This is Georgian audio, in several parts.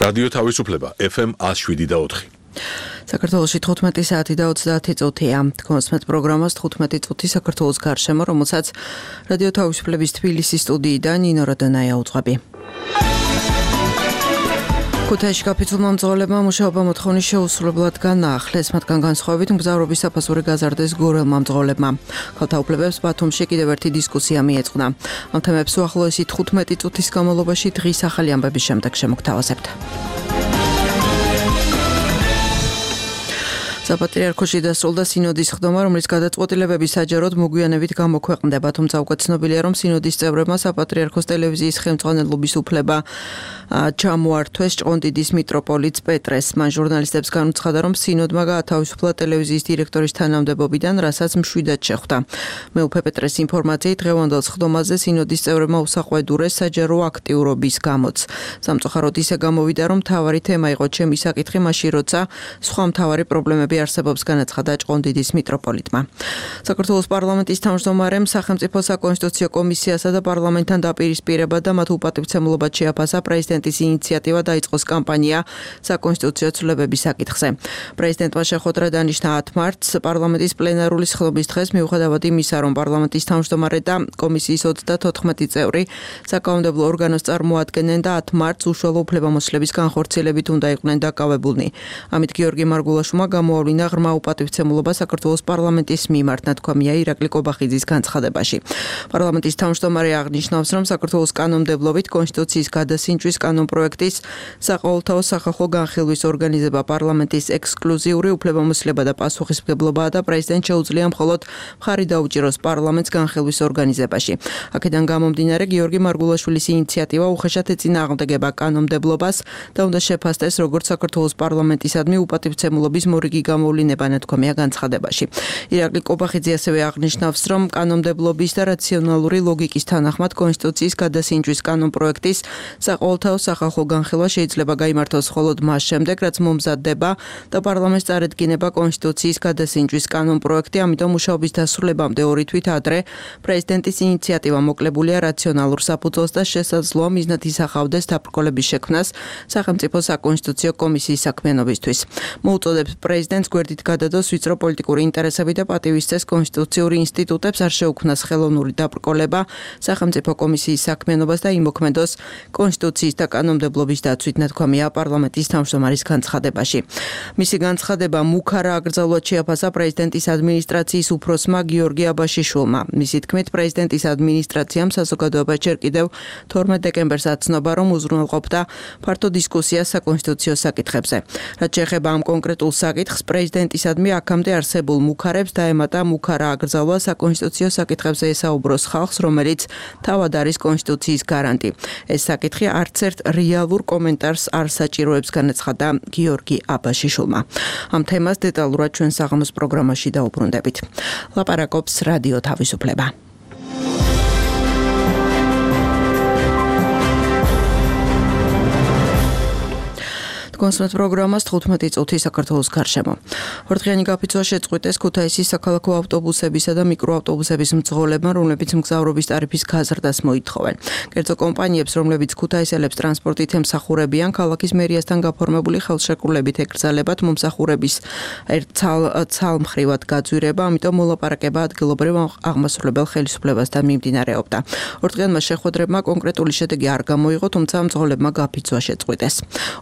რადიო თავისუფლება FM 107.4. საქართველოში 15 საათი და 30 წუთია. კონსმეთ პროგრამას 15 წუთი საქართველოს გარშემო, რომელსაც რადიო თავისუფლების თბილისის სტუდიიდან ნინო როდანაია უძღვები. ქუთაისში გაფიცულმა მძღოლებმა მუშაობა მოთხოვნის შეუსრულებლად განაახლეს, მათგან განსხვავებით მგზავრობის საფასური გაზარდეს გორელმა მძღოლებმა. ქალთა უფლებებს ბათუმში კიდევ ერთი დისკუსია მიეწყნა. ამ თემებს უახლოესი 15 წუთის განმავლობაში დღის ახალი ამბების შემდეგ შემოგთავაზებთ. საპატრიარქოში დასრულდა სინოდის ხდომა, რომლის გადაწყვეტილებები საჯაროდ მოგვიანებით გამოქვეყნდება, თუმცა უკვე ცნობილია, რომ სინოდის წევრებმა საპატრიარქოს ტელევიზიის ხელმძღვანელობის უფლება ჩამოართვეს ჭყონდიდის მიტროპოლიტს პეტრეს. მან ჟურნალისტებს განუცხადა, რომ სინოდმა გაათავისუფლა ტელევიზიის დირექტორის თანამდებობიდან, რასაც მშვიდად შეხვდა. მეუფე პეტრეს ინფორმაციით, დღევანდელ ხდომაზე სინოდის წევრებმა უსაყვედურეს საჯარო აქტიურობის გამოც. სამწუხაროდ ისე გამოვიდა, რომ მთავარი თემა იყო ჩემი საკითხი მაშინ, როცა სხვა მთავარი პრობლემები არსებობს, განაცხადა ჭყონდიდის მიტროპოლიტმა. საქართველოს პარლამენტის თავმჯდომარემ სახელმწიფო საკონსტიტუციო კომისიასა და პარლამენტთან დაპირისპირება და მათ უპატივცემულობად შეაფასა პრეზიდენტის ინიციატივა დაიწყოს კამპანია საკონსტიტუციო ცვლილებების საკითხზე. პრეზიდენტმა შეხვედრა დანიშნა 10 მარტს პარლამენტის პლენარული სხდომის დღეს, მიუხედავად იმისა, რომ პარლამენტის თავმჯდომარე და კომისიის 34 წევრი საკანონმდებლო ორგანოს წარმოადგენენ და 10 მარტს უშუალო უფლებამოსილების განხორციელებით უნდა იყვნენ დაკავებულნი. ამით გიორგი მარგულაშვილმა გამოავლინა ღრმა უპატივცემულობა საქართველოს პარლამენტის მიმართ, ნათქვამია ირაკლი კობახიძის განცხადებაში. პარლამენტის თავმჯდომარე აღნიშნავს, რომ საქართველოს კანონმდებლობით კონსტიტუციის გადასინჯვის კანონპროექტის საყოველთაო სახალხო განხილვის ორგანიზება პარლამენტის ექსკლუზიური უფლებამოსილება და პასუხისმგებლობაა და პრეზიდენტს შეუძლია მხოლოდ მხარი დაუჭიროს პარლამენტს განხილვის ორგანიზებაში. აქედან გამომდინარე, გიორგი მარგულაშვილის ინიციატივა უხეშად ეწინააღმდეგება კანონმდებლობას და უნდა შეფასდეს როგორც საქართველოს პარლამენტისადმი უპატივცემულობის მორიგი გამოვლინება, ნათქვამია განცხადებაში. ირაკლი კობახიძე ასევე აღნიშნავს, რომ კანონმდებლობის და რაციონალური ლოგიკის თანახმად კონსტიტუციის გადასინჯვის კანონპროექტის საყოველთაო სახალხო განხილვა შეიძლება გაიმართოს მხოლოდ მას შემდეგ, რაც მომზადდება და პარლამენტს წარედგინება კონსტიტუციის გადასინჯვის კანონპროექტი, ამიტომ მუშაობის დასრულებამდე 2 თვით ადრე პრეზიდენტის ინიციატივა მოკლებულია რაციონალურ საფუძველს და შესაძლოა მიზნად ისახავდეს დაბრკოლების შექმნას სახელმწიფო საკონსტიტუციო კომისიის საქმიანობისთვის. მოუწოდებს პრეზიდენტს გვერდით გადადოს ვიწრო პოლიტიკური ინტერესები და პატივისცეს კონსტიტუციური ინსტიტუტებს, არ შეუქმნას ხელოვნური დაბრკოლება სახელმწიფო კომისიის საქმიანობას და იმოქმედოს კონსტიტუციის და კანონმდებლობის დაცვით, ნათქვამია პარლამენტის თავმჯდომარის განცხადებაში. მისი განცხადება მუქარა აკრძალვად შეაფასა პრეზიდენტის ადმინისტრაციის უფროსმა გიორგი აბაშიშვილმა. მისი თქმით, პრეზიდენტის ადმინისტრაციამ საზოგადოებას ჯერ კიდევ 12 დეკემბერს აცნობა, რომ უზრუნველყოფდა ფართო დისკუსიას საკონსტიტუციო საკითხებზე. რაც შეეხება ამ კონკრეტულ საკითხს, პრეზიდენტისადმი აქამდე არსებულ მუქარებს დაემატა მუქარა აკრძალვა საკონსტიტუციო საკითხებზე ესაუბროს ხალხს, რომელიც თავად არის კონსტიტუციის გარანტი. ეს საკითხი არც ერთ რეალურ კომენტარს არ საჭიროებს, განაცხადა გიორგი აბაშიშვილმა. ამ თემას დეტალურად ჩვენ საღამოს პროგრამაში დაუბრუნდებით. ლაპარაკობს რადიო თავისუფლება. კონსმეთ პროგრამას 15 წუთი საქართველოს გარშემო. ორდღიანი გაფიცვა შეწყვიტეს ქუთაისის საქალაქო ავტობუსებისა და მიკროავტობუსების მძღოლებმა, რომლებიც მგზავრობის ტარიფის გაზრდას მოითხოვენ. კერძო კომპანიებს, რომლებიც ქუთაისელებს ტრანსპორტით ემსახურებიან, ქალაქის მერიასთან გაფორმებული ხელშეკრულებით ეკრძალებათ მომსახურების ცალმხრივად გაძვირება, ამიტომ მოლაპარაკება ადგილობრივ აღმასრულებელ ხელისუფლებასთან მიმდინარეობდა. ორდღიანმა შეხვედრებმა კონკრეტული შედეგი არ გამოიღო, თუმცა მძღოლებმა გაფიცვა შეწყვიტეს.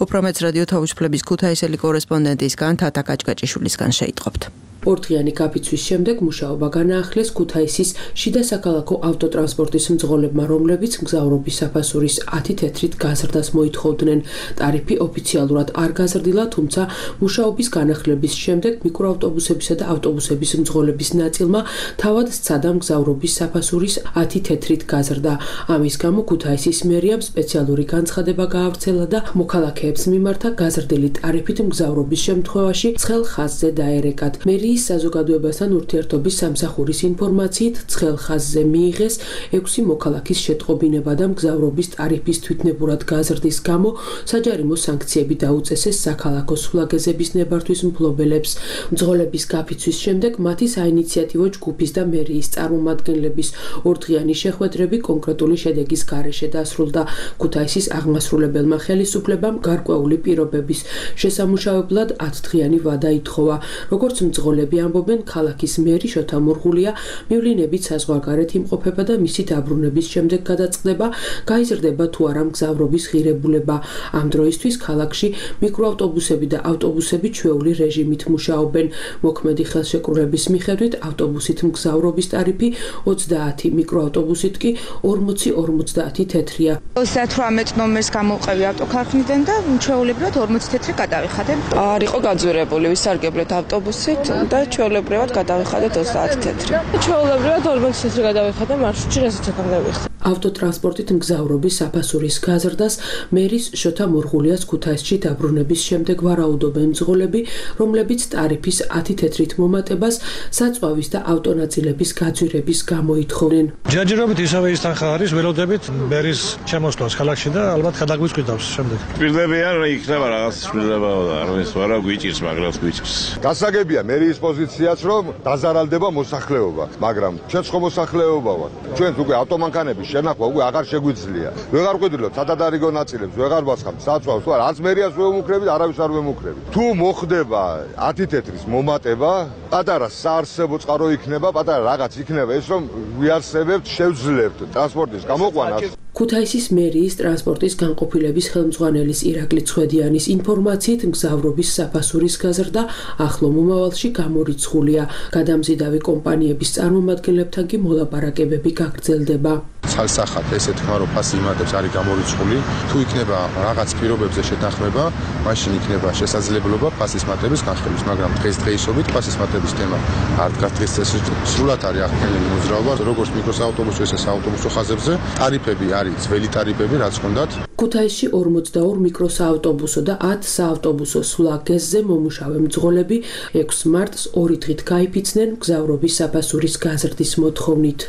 უფრო მეც რადიო თავისუფლების ქუთაისელი კორესპონდენტისგან თათა კაჭკაჭიშვილისგან შეიტყობთ. ორდღიანი გაფიცვის შემდეგ მუშაობა განაახლეს ქუთაისის შიდა საქალაქო ავტოტრანსპორტის მძღოლებმა, რომლებიც მგზავრობის საფასურის 10 თეთრით გაზრდას მოითხოვდნენ. ტარიფი ოფიციალურად არ გაზრდილა, თუმცა მუშაობის განახლების შემდეგ მიკროავტობუსებისა და ავტობუსების მძღოლების ნაწილმა თავად სცადა მგზავრობის საფასურის 10 თეთრით გაზრდა. ამის გამო ქუთაისის მერიამ სპეციალური განცხადება გაავრცელა და მოქალაქეებს მიმართა გაზრდილი ტარიფით მგზავრობის შემთხვევაში ცხელ ხაზზე დაერეკათ. მერია მერიის საზოგადოებასთან ურთიერთობის სამსახურის ინფორმაციით ცხელ ხაზზე მიიღეს 6 მოქალაქის შეტყობინება და მგზავრობის ტარიფის თვითნებურად გაზრდის გამო საჯარიმო სანქციები დაუწესეს საქალაქო სულაგეზების ნებართვის მფლობელებს. მძღოლების გაფიცვის შემდეგ მათი საინიციატივო ჯგუფის და მერიის წარმომადგენლების ორდღიანი შეხვედრები კონკრეტული შედეგის გარეშე დასრულდა. ქუთაისის აღმასრულებელმა ხელისუფლებამ გარკვეული პირობების შესამუშავებლად 10 დღიანი ვადა ითხოვა. როგორც მძღოლები ამბობენ, ქალაქის მერი შოთა მურღულია მივლინებით საზღვარგარეთ იმყოფება და მისი დაბრუნების შემდეგ გადაწყდება, გაიზრდება თუ არა მგზავრობის ღირებულება. ამ დროისთვის ქალაქში მიკროავტობუსები და ავტობუსები ჩვეული რეჟიმით მუშაობენ. მოქმედი ხელშეკრულების მიხედვით ავტობუსით მგზავრობის ტარიფი 30, მიკროავტობუსით კი 40-50 თეთრია. 38 ნომერს გამოვყევი ავტოქარხნიდან და ჩვეულებრივად 40 თეთრი გადავიხადე. არ იყო გაძვირებული, ვისარგებლეთ ავტობუსით და ჩვეულებრივად გადავიხადეთ 30 თეთრი. ჩვეულებრივად 40 თეთრი გადავიხადე მარშრუტში, რასაც აკამდევიხდი. ავტოტრანსპორტით მგზავრობის საფასურის გაზრდას მერის შოთა მურღულიას ქუთაისში დაბრუნების შემდეგ ვარაუდობენ მძღოლები, რომლებიც ტარიფის 10 თეთრით მომატებას საწვავის და ავტონაწილების გაძვირების გამო ითხოვენ. ჯერჯერობით ისევე ის თანხა არის, ველოდებით მერის შემოსვლას ქალაქში და ალბათ გადაგვიწყვიტავს შემდეგ. პირდებიან იქნება რაღაც შვილება და არის ვარა გვიჭირს, მაგრამ გვიჭირს. გასაგებია მერიის პოზიციაც, რომ დაზარალდება მოსახლეობა, მაგრამ ჩვენც ხო მოსახლეობა ვართ. ჩვენც უკვე ავტომანქანების შენახვა უკვე აღარ შეგვიძლია. ვეღარ ყვიდრილობთ სადადარიგო ნაწილებს, ვეღარ ვასხამთ საწვავს, თუ არა, არც მერიას ვერ ვემუქრებით, არავის არ ვემუქრებით. თუ მოხდება 10 თეთრის მომატება, პატარა საარსებო წყარო იქნება, პატარა რაღაც იქნება ეს, რომ ვიარსებებთ, შევძლებთ ტრანსპორტის გამოყვანას. ქუთაისის მერიის ტრანსპორტის განყოფილების ხელმძღვანელის ირაკლი ცხვედიანის ინფორმაციით მგზავრობის საფასურის გაზრდა ახლო მომავალში გამორიცხულია. გადამზიდავი კომპანიების წარმომადგენლებთან კი მოლაპარაკებები გაგრძელდება. ცალსახად ესე თქვა, რომ ფასი იმატებს არის გამორიცხული, თუ იქნება რაღაც პირობებზე შეთანხმება, მაშინ იქნება შესაძლებლობა ფასის მატების განხილვის, მაგრამ დღესდღეობით ფასის მატების თემა არ დგას დღეს წესრიგში. სრულად არის აღქმეული მოძრაობა, როგორც მიკროსაავტობუსო, ესე საავტობუსო ხაზებზე. ტარიფები არის ძველი ტარიფები, რაც ჰქონდათ. ქუთაისში 42 მიკროსაავტობუსო და 10 საავტობუსო სულაგეზზე მომუშავე მძღოლები 6 მარტს 2 დღით გაიფიცნენ მგზავრობის საფასურის გაზრდის მოთხოვნით.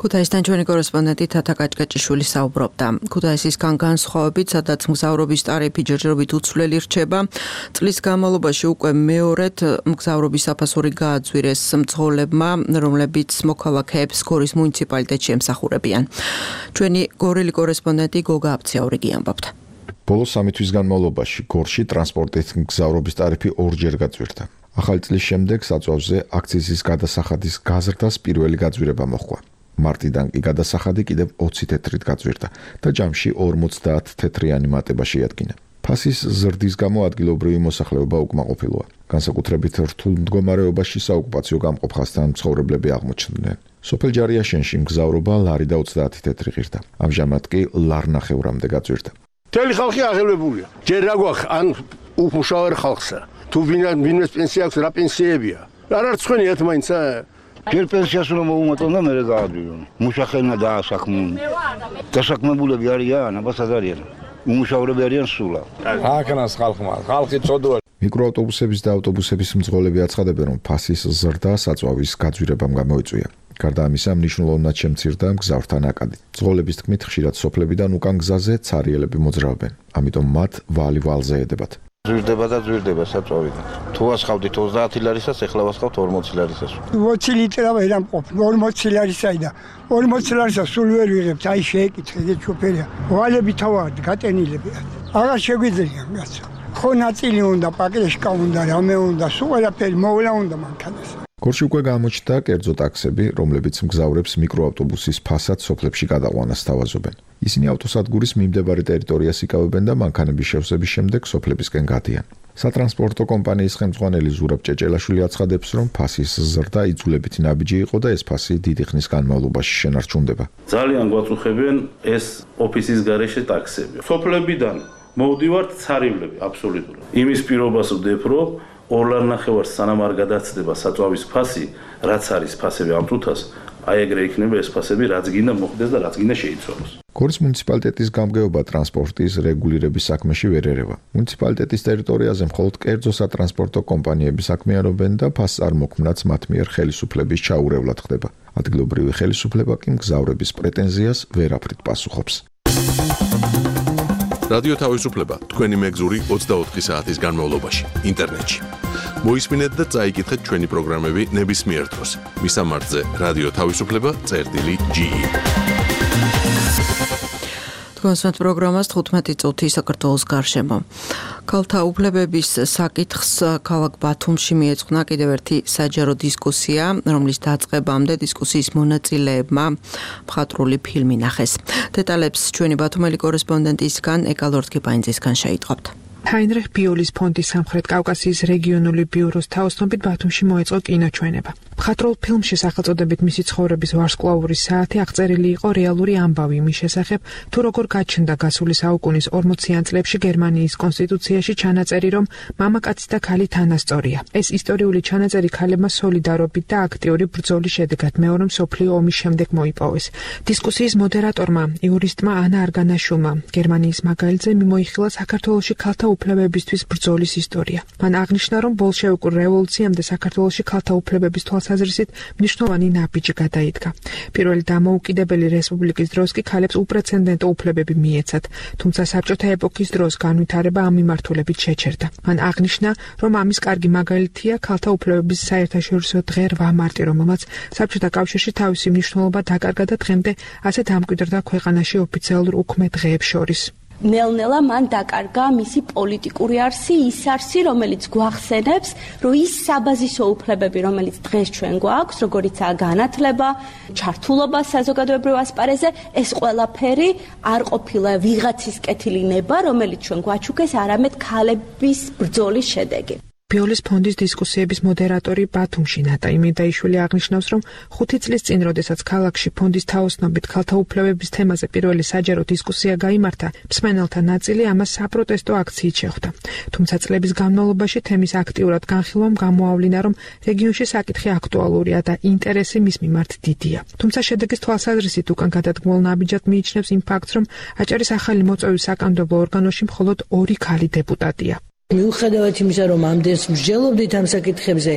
ქუთაისთან ჩვენი კორესპონდენტი თათა კაჭკაჭიშვილი საუბრობდა. ქუთაისისგან განსხვავებით, სადაც მგზავრობის ტარიფი ჯერჯერობით უცვლელი რჩება, წლის განმავლობაში უკვე მეორედ მგზავრობის საფასური გააძვირეს მძღოლებმა, რომლებიც მოქალაქეებს გორის მუნიციპალიტეტში ემსახურებიან. ჩვენი გორელი კორესპონდენტი გოგა აბციაურიგი ამბობდა. ბოლო 3 თვის განმავლობაში გორში ტრანსპორტით მგზავრობის ტარიფი 2-ჯერ გაძვირდა. ახალი წლის შემდეგ საწვავზე აქციზის გადასახადის გაზრდას პირველი გაძვირება მოჰყვა. მარტიდან კი გადასახადი კიდევ 20 თეთრით გაძვირდა და ჯამში 50 თეთრიანი მატება შეადგინა. ფასის ზრდის გამო ადგილობრივი მოსახლეობა უკმაყოფილოა. განსაკუთრებით რთულ მდგომარეობაში საოკუპაციო გამყოფხასთან მცხოვრებლები აღმოჩნდნენ. სოფელ ჯარიაშენში მგზავრობა ლარი და 30 თეთრი ღირდა. ამჟამად კი ლარნახევრამდე გაძვირდა. მთელი ხალხი აღელვებულია. ჯერ რა გვაქვს ან უმუშავე ხალხსა. თუ ვინმეს პენსია აქვს, რა პენსიებია? არ არის ცხენიათ მაინცა. ჯერ პენსიას რომ მოუმატონ და მერე გაადვირონ. მუშახელნა დაასაქმონ. დასაქმებულები არიან, აბას არიან. უმუშავრები არიან სულა. აკნას ხალხმა, ხალხი წოდოა. მიკროავტობუსების და ავტობუსების მძღოლები აცხადებენ, რომ ფასის ზრდა საწვავის გაძვირებამ გამოიწვია. გარდა ამისა, მნიშვნელოვნად შემცირდა მგზავრთა ნაკადი. მძღოლების თქმით, ხშირად სოფლებიდან უკან გზაზე ცარიელები მოძრაობენ, ამიტომ მათ ვალი-ვალზე ედებათ. ზვირდება საწვავიდან. თუ ასხავდით 30 ლარისას, ეხლა ვასხავთ 40 ლარისას. 20 ლიტრა ვერ ამყოფ, 40 ლარისაი და 40 ლარისას სულ ვერ ვიღებთ, აი შეეკითხეთ შოფერია. ვალები თავად გატენილები. აღარ შეგვიძლია კაცო. ხო ნაწილი უნდა, პაკრეშკა უნდა, რამე უნდა, სულ ყველაფერი მოვლა უნდა მანქანას. გორში უკვე გამოჩნდა კერძო ტაქსები, რომლებიც მგზავრებს მიკროავტობუსის ფასად სოფლებში გადაყვანას სთავაზობენ. ისინი ავტოსადგურის მიმდებარე ტერიტორიას იკავებენ და მანქანების შევსების შემდეგ სოფლებისკენ გადიან. სატრანსპორტო კომპანიის ხელმძღვანელი ზურაბ ჭეჭელაშვილი აცხადებს, რომ ფასის ზრდა იძულებითი ნაბიჯი იყო და ეს ფასი დიდი ხნის განმავლობაში შენარჩუნდება. ძალიან გვაწუხებენ ეს ოფისის გარეშე ტაქსები. სოფლებიდან მოვდივართ ცარივლები აბსოლუტურად. იმის პირობას ვდებ, რომ 2 ლარნახევარს სანამ არ გადაცდება საწვავის ფასი, რაც არის ფასები ამ თუთას, აი ეგრე იქნება ეს ფასები, რაც გინდა მოხდეს და რაც გინდა შეიცვალოს. გორის მუნიციპალიტეტის გამგეობა ტრანსპორტის რეგულირების საქმეში ვერ ერევა. მუნიციპალიტეტის ტერიტორიაზე მხოლოდ კერძო სატრანსპორტო კომპანიები საქმიანობენ და ფასწარმოქმნაც მათ მიერ ხელისუფლების ჩაურევლად ხდება. ადგილობრივი ხელისუფლება კი მგზავრების პრეტენზიას ვერაფრით პასუხობს. რადიო თავისუფლება თქვენი მეგზური 24 საათის განმავლობაში ინტერნეტში. მოისმინეთ და წაიკითხეთ ჩვენი პროგრამები ნებისმიერ დროს. მისამართზე რადიო თავისუფლება.ge კონსვენთ პროგრამას 15 წუთი საქართველოს გარშემო. ქალთა უფლებების საკითხს ქალაქ ბათუმში მიეძღვნა კიდევ ერთი საჯარო დისკუსია, რომლის დაწყებამდე დისკუსიის მონაწილეებმა მხატვრული ფილმი ნახეს. დეტალებს ჩვენი ბათუმელი კორესპონდენტისგან ეკალორთკიპაინძისგან შეიტყობთ. ჰაინრიხ ბიოლის ფონდის სამხრეთ კავკასიის რეგიონული ბიუროს თაოსნობით ბათუმში მოეწყო კინოჩვენება. მხატვრულ ფილმში სახელწოდებით მისი ცხოვრების ვარსკვლავური საათი აღწერილი იყო რეალური ამბავი იმის შესახებ, თუ როგორ გაჩნდა გასული საუკუნის 40-იან წლებში გერმანიის კონსტიტუციაში ჩანაწერი, რომ მამაკაცი და ქალი თანასწორია. ეს ისტორიული ჩანაწერი ქალებმა სოლიდარობით და აქტიური ბრძოლის შედეგად მეორე მსოფლიო ომის შემდეგ მოიპოვეს. დისკუსიის მოდერატორმა, იურისტმა ანა არგანაშვილმა გერმანიის მაგალითზე მიმოიხილა საქართველოში ქალთა უფლებებისთვის ბრძოლის ისტორია. მან აღნიშნა, რომ ბოლშევიკურ რევოლუციამდე საქართველოში ქალთა უფლებების თვალსაზრისით მნიშვნელოვანი ნაბიჯი გადაიდგა. პირველი დამოუკიდებელი რესპუბლიკის დროს კი ქალებს უპრეცედენტო უფლებები მიეცათ, თუმცა საბჭოთა ეპოქის დროს განვითარება ამ მიმართულებით შეჩერდა. მან აღნიშნა, რომ ამის კარგი მაგალითია ქალთა უფლებების საერთაშორისო დღე 8 მარტი, რომელმაც საბჭოთა კავშირში თავისი მნიშვნელობა დაკარგა და დღემდე ასეთ ამკვიდრდა ქვეყანაში ოფიციალურ უქმე დღეებს შორის. ნელ-ნელა მან დაკარგა მისი პოლიტიკური არსი, ის არსი, რომელიც გვახსენებს, რომ ის საბაზისო უფლებები, რომელიც დღეს ჩვენ გვაქვს, როგორიცაა განათლება, ჩართულობა საზოგადოებრივ ასპარეზზე, ეს ყველაფერი არ ყოფილა ვიღაცის კეთილი ნება, რომელიც ჩვენ გვაჩუქეს, არამედ ქალების ბრძოლის შედეგი. ბიოლის ფონდის დისკუსიების მოდერატორი ბათუმში ნატა იმედაიშვილი აღნიშნავს, რომ 5 წლის წინ, როდესაც ქალაქში ფონდის თაოსნობით ქალთა უფლებების თემაზე პირველი საჯარო დისკუსია გაიმართა, მსმენელთა ნაწილი ამას საპროტესტო აქციით შეხვდა. თუმცა წლების განმავლობაში თემის აქტიურად განხილვამ გამოავლინა, რომ რეგიონში საკითხი აქტუალურია და ინტერესი მის მიმართ დიდია. თუმცა შედეგის თვალსაზრისით უკან გადადგმულ ნაბიჯად მიიჩნევს იმ ფაქტს, რომ აჭარის ახალი მოწვევის საკანონმდებლო ორგანოში მხოლოდ 2 ქალი დეპუტატია. მიუხედავად იმისა, რომ ამდენს მსჯელობდით ამ საკითხებზე,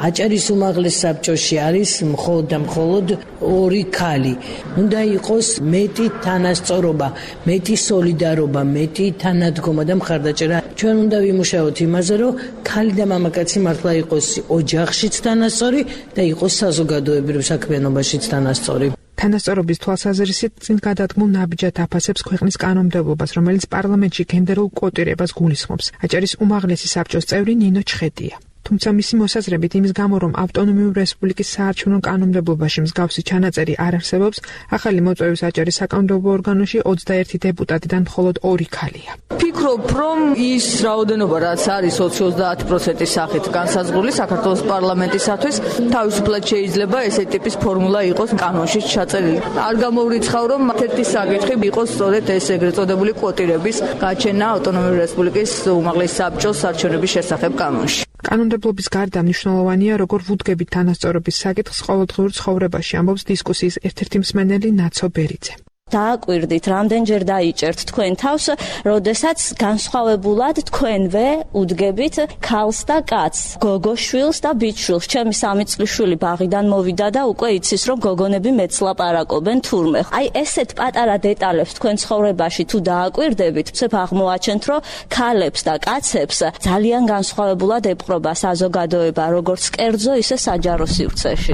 აჭარის უმაღლეს საბჭოში არის მხოლოდ და მხოლოდ 2 ქალი. უნდა იყოს მეტი თანასწორობა, მეტი სოლიდარობა, მეტი თანადგომა და მხარდაჭერა. ჩვენ უნდა ვიმუშაოთ იმაზე, რომ ქალი და მამაკაცი მართლა იყოს ოჯახშიც თანასწორი და იყოს საზოგადოებრივ საქმიანობაშიც თანასწორი. თანასწორობის თვალსაზრისით წინ გადადგმულ ნაბიჯად აფასებს ქვეყნის კანონმდებლობას, რომელიც პარლამენტში გენდერულ კვოტირებას გულისხმობს. აჭარის უმაღლესი საბჭოს წევრი ნინო ჩხეტია. თუმცა მისი მოსაზრებით იმის გამო, რომ ავტონომიური რესპუბლიკის საარჩევნო კანონმდებლობაში მსგავსი ჩანაწერი არ არსებობს, ახალი მოწვევის აჭარის საკანონმდებლო ორგანოში 21 დეპუტატიდან მხოლოდ 2 ქალია. ფიქრობ, რომ ის რაოდენობა, რაც არის 20-30%-ის სახით განსაზღვრული საქართველოს პარლამენტისათვის, თავისუფლად შეიძლება ესეთი ტიპის ფორმულა იყოს კანონში ჩაწერილი. არ გამოვრიცხავ, რომ ერთ-ერთი საკითხი იყოს სწორედ ეს ეგრეთ წოდებული კვოტირების გაჩენა ავტონომიური რესპუბლიკის უმაღლესი საბჭოს არჩევნების შესახებ კანონში. კანონმდებლობის გარდა მნიშვნელოვანია, როგორ ვუდგებით თანასწორობის საკითხს ყოველდღიურ ცხოვრებაში, ამბობს დისკუსიის ერთ-ერთი მსმენელი ნაცო ბერიძე. დააკვირდით, რამდენჯერ დაიჭერთ თქვენ თავს, როდესაც განსხვავებულად თქვენვე უდგებით ქალს და კაცს, გოგოშვილს და ბიჭშვილს. ჩემი 3 წლის შვილი ბაღიდან მოვიდა და უკვე იცის, რომ გოგონები მეც ლაპარაკობენ თურმე. აი ესეთ პატარა დეტალებს თქვენ ცხოვრებაში თუ დააკვირდებით, ცებ აღმოაჩენთ, რომ ქალებს და კაცებს ძალიან განსხვავებულად ეპყრობა საზოგადოება, როგორც კერძო, ისე საჯარო სივრცეში.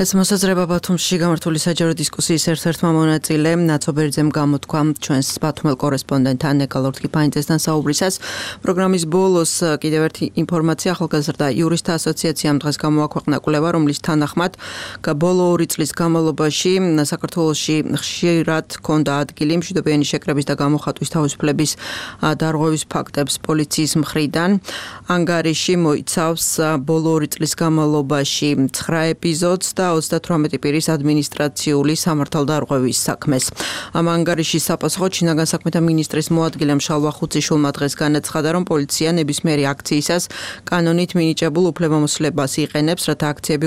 ეს მოსაზრება ბათუმში გამართული საჯარო დისკუსიის ერთ-ერთმა მონაწილემ ნაცო ბერიძემ გამოთქვა ჩვენს ბათუმელ კორესპონდენტთან ეკალორთკიპაინძესთან საუბრისას. პროგრამის ბოლოს კიდევ ერთი ინფორმაცია, ახალგაზრდა იურისტთა ასოციაციამ დღეს გამოაქვეყნა კვლევა, რომლის თანახმად ბოლო 2 წლის განმავლობაში საქართველოში ხშირად ჰქონდა ადგილი მშვიდობიანი შეკრების და გამოხატვის თავისუფლების დარღვევის ფაქტებს პოლიციის მხრიდან. ანგარიში მოიცავს ბოლო 2 წლის განმავლობაში 9 ეპიზოდს და 38 პირის ადმინისტრაციული სამართალდარღვევის საქმეს. ამ ანგარიშის საპასუხოდ შინაგან საქმეთა მინისტრის მოადგილემ შალვა ხუციშვილმა დღეს განაცხადა, რომ პოლიცია ნებისმიერი აქციისას კანონით მინიჭებულ უფლებამოსილებას იყენებს, რათა აქციები